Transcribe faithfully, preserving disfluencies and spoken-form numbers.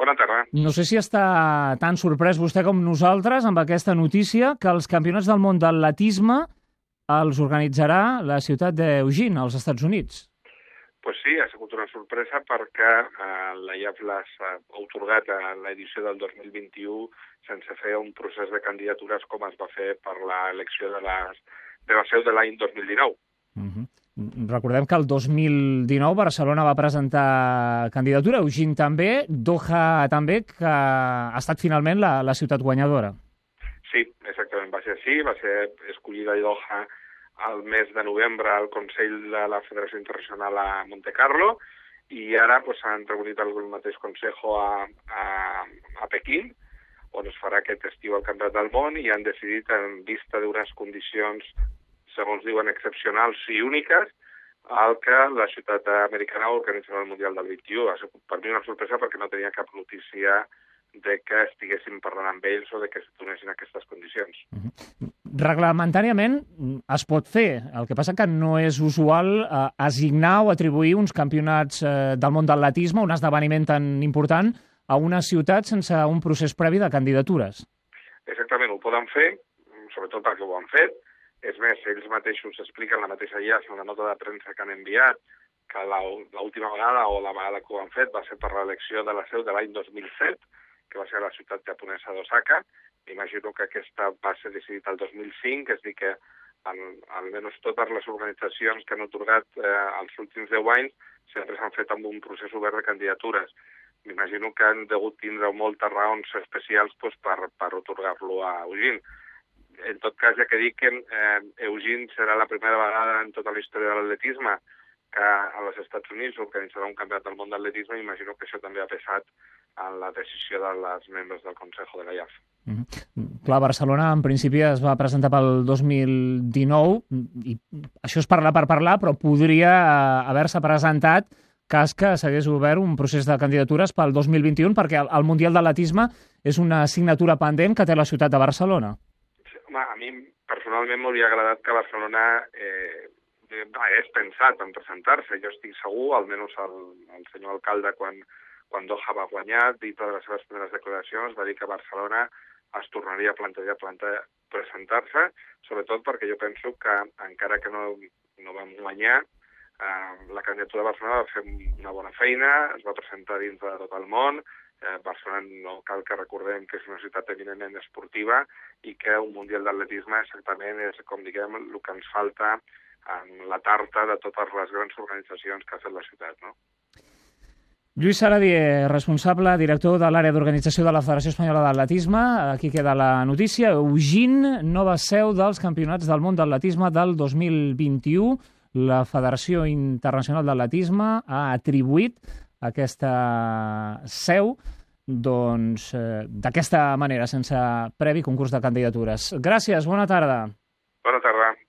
Bona tarda. No sé si està tan sorprès vostè com nosaltres amb aquesta notícia que els campionats del món d'atletisme els organitzarà la ciutat d'Eugene, als Estats Units. Pues sí, ha sigut una sorpresa perquè eh, la I A F l'ha atorgat a l'edició del dos mil vint-i-u sense fer un procés de candidatures com es va fer per l'elecció de, les, de la seu de l'any dos mil dinou. Uh-huh. Recordem que el dos mil dinou Barcelona va presentar candidatura, Eugene també, Doha també, que ha estat finalment la, la ciutat guanyadora. Sí, exactament, va ser així, va ser escollida a Doha al mes de novembre al Consell de la Federació Internacional a Monte Carlo i ara s'han pues, reunit el mateix Consejo a, a, a Pequín, on es farà aquest estiu el Campionat del Món i han decidit, en vista d'unes condicions segons diuen, excepcionals i úniques, el que la ciutat americana organitzarà el Mundial del vint-i-u. Ha sigut per mi una sorpresa perquè no tenia cap notícia de que estiguessin parlant amb ells o de que es donessin aquestes condicions. Uh-huh. Reglamentàriament es pot fer, el que passa que no és usual eh, assignar o atribuir uns campionats eh, del món d'atletisme, un esdeveniment tan important, a una ciutat sense un procés previ de candidatures. Exactament, ho poden fer, sobretot perquè ho han fet. És més, ells mateixos expliquen la mateixa I A F en la nota de premsa que han enviat que l'última vegada o la vegada que ho han fet va ser per l'elecció de la seu de l'any dos mil set, que va ser a la ciutat japonesa d'Osaka. M'imagino que aquesta va ser decidida el dos mil cinc, és a dir que al, almenys totes les organitzacions que han atorgat eh, els últims deu anys sempre s'han fet amb un procés obert de candidatures. M'imagino que han degut tindre moltes raons especials pues, per, per atorgar-lo a Eugene. En tot cas, ja que dic que eh, Eugene serà la primera vegada en tota la història de l'atletisme que als Estats Units organitzarà un campionat del món d'atletisme, imagino que això també ha pesat en la decisió dels membres del Consejo de la I A F. Mm-hmm. Clar, Barcelona en principi es va presentar pel dos mil dinou i això és parlar per parlar, però podria haver-se presentat cas que s'hagués obert un procés de candidatures pel dos mil vint-i-u perquè el, el Mundial d'Atletisme és una assignatura pendent que té la ciutat de Barcelona. Home, a mi personalment m'hauria agradat que Barcelona eh, hagués pensat en presentar-se. Jo estic segur, almenys el, el senyor alcalde, quan, quan Doha va guanyar, dintre de les seves primeres declaracions, va dir que Barcelona es tornaria a plantejar plantar, presentar-se, sobretot perquè jo penso que, encara que no, no vam guanyar, eh, la candidatura de Barcelona va fer una bona feina, es va presentar dintre de tot el món. Eh, Barcelona no cal que recordem que és una ciutat eminentment esportiva i que un Mundial d'atletisme exactament és, com diguem, el que ens falta en la tarta de totes les grans organitzacions que ha fet la ciutat, no? Lluís Saradier, responsable, director de l'àrea d'organització de la Federació Espanyola d'Atletisme. Aquí queda la notícia. Eugene, nova seu dels Campionats del Món d'Atletisme del dos mil vint-i-u. La Federació Internacional d'Atletisme ha atribuït aquesta seu doncs, eh, d'aquesta manera, sense previ concurs de candidatures. Gràcies, bona tarda.